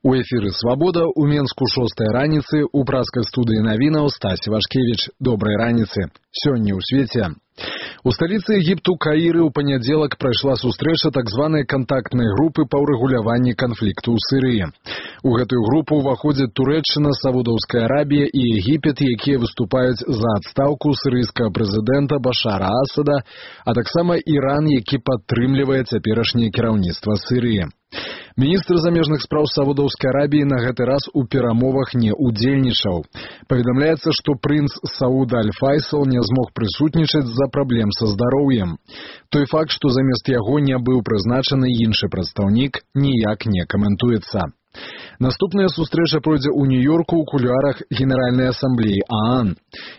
У эфіры «Свабода» у Менску 6-й раніцы у праскай студыі навінаў Стась Вашкевіч. Добрай раніцы. Сёння ў свеце. У сталіцы Егіпту Каіры ў панядзелак прайшла сустрэча так званай кантактнай групы па ўрэгуляванні канфлікту ў Сірыі. У гэтую групу ўваходзяць Турэччына, Саудаўская Арабія і Егіпет, якія выступаюць за адстаўку сірыйскага прэзідэнта Башара Асада, а таксама Іран, які падтрымлівае цяперашняе кіраўніцтва Сірыі. Міністр замежных спраў Саудаўскай Арабіі на гэты раз у перамовах не удзельнічаў. Паведамляецца, што прынц Сауд Аль-Файсал не змог прысутнічаць з-за праблем са здароўем. Той факт, што замест яго не быў прызначаны іншы прадстаўнік, ніяк не каментуецца. Наступная сустрэча пройдзе ў Нью-Йорку ў кулуарах Генеральнай асамблеі ААН.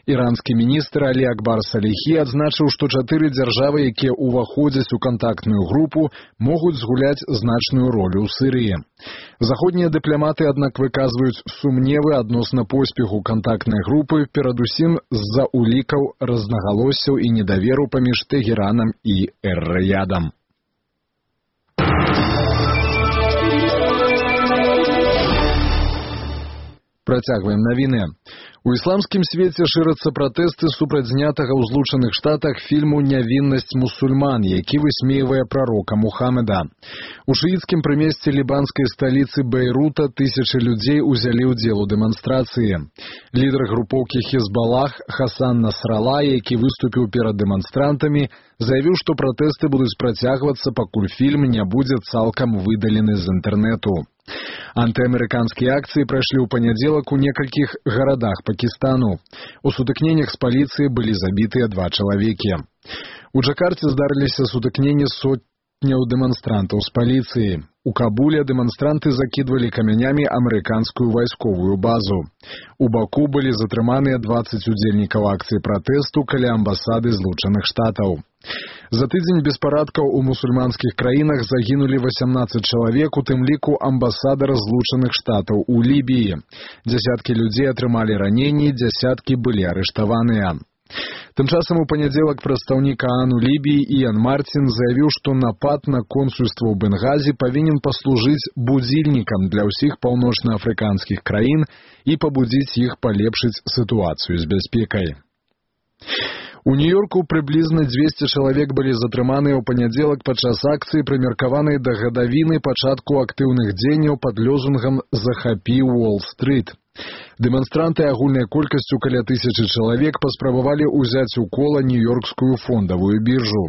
Іранскі міністр Алі Акбар Саліхі адзначыў, што 4 дзяржавы, якія ўваходзяць у кантактную групу, могуць згуляць значную ролю ў Сірыі. Заходнія дыпламаты, аднак, выказваюць сумневы адносна поспеху кантактнай групы, перадусім з-за улікаў рознагалоссяў і недаверу паміж Тэгеранам і Эр-Рыядам. Працягваем навіны. У ісламскім свеце шырацца пратэсты супраць знятага ў Злучаных Штатах фільму «Нявіннасць мусульман», які высмейвае прарока Мухаммеда. У шыіцкім прымесці лібанскай сталіцы Бейрута тысячы людзей узялі ўдзел у дэманстрацыі. Лідар групоўкі Хезбалах Хасан Насрала, які выступіў перад дэманстрантамі, заявіў, што пратэсты будуць працягвацца, пакуль фільм не будзе цалкам выдалены з інтэрнэту. Антыамерыканскія акцыі прайшлі ў панядзелак у некалькіх гарадах Пакістану. У сутыкненнях з паліцыяй былі забітыя 2 чалавекі. У Джакарце здарыліся сутыкненні сотняў дэманстрантаў з паліцыяй. У Кабуле дэманстранты закідвалі камянямі амерыканскую вайсковую базу. У Баку былі затрыманыя 20 удзельнікаў акцыі пратэсту каля амбасады Злучаных Штатаў. За тыдзень беспарадкаў у мусульманскіх краінах загінулі 18 чалавек, у тым ліку амбасадар Злучаных Штатаў у Лібіі. Дзясяткі людзей атрымалі раненні, дзясяткі былі арыштаваныя. Тым часам у панядзелак прадстаўнік ААН у Лібіі Іан Мартін заявіў, што напад на консульства ў Бенгазі павінен паслужыць будзільнікам для ўсіх паўночнаафрыканскіх краін і пабудзіць іх палепшыць сітуацыю з бяспекай. У Нью-Йорку прыблізна 200 чалавек былі затрыманыя ў панядзелак падчас акцыі, прымеркаванай да гадавіны пачатку актыўных дзеянняў пад лозунгам «Захапі Уолл-стрыт». Дэманстранты агульнай колькасцю каля 1000 чалавек паспрабавалі ўзяць у кола нью-йоркскую фондавую біржу.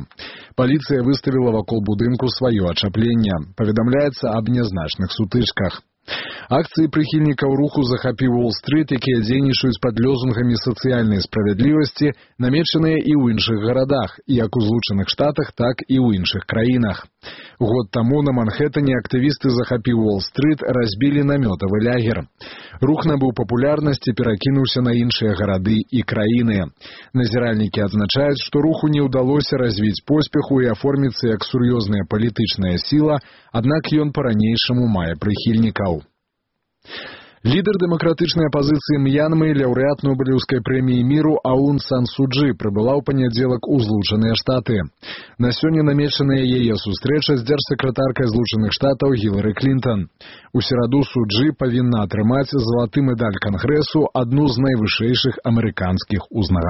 Паліцыя выставіла вакол будынку сваё ачапленне. Паведамляецца аб нязначных сутычках. Акцыі прыхільнікаў руху «Захапі Уолл-стрыт», якія дзейнічаюць пад лозунгамі сацыяльнай справядлівасці, намечаныя і ў іншых гарадах, як у Злучаных Штатах, так і ў іншых краінах. Год таму на Манхэттане актывісты «Захапі Уолл-стрыт» разбілі намётавы лягер. Рух набыў папулярнасць і перакінуўся на іншыя гарады і краіны. Назіральнікі адзначаюць, што руху не ўдалося развіць поспеху і аформіцца як сур'ёзная палітычная сіла, аднак ён па-ранейшаму мае прыхільнікаў. Лідар дэмакратычнай апазіцыі М'янмы, лаўрэат Нобелеўскай прэміі міру Аун Сан Су Чжы прыбыла ў панядзелак у Злучаныя Штаты. На сёння намечаная яе сустрэча з дзяржсакратаркай Злучаных Штатаў Гілары Клінтон. У сераду Су Чжы павінна атрымаць залаты медаль Кангрэсу, адну з найвышэйшых амерыканскіх узнагарод.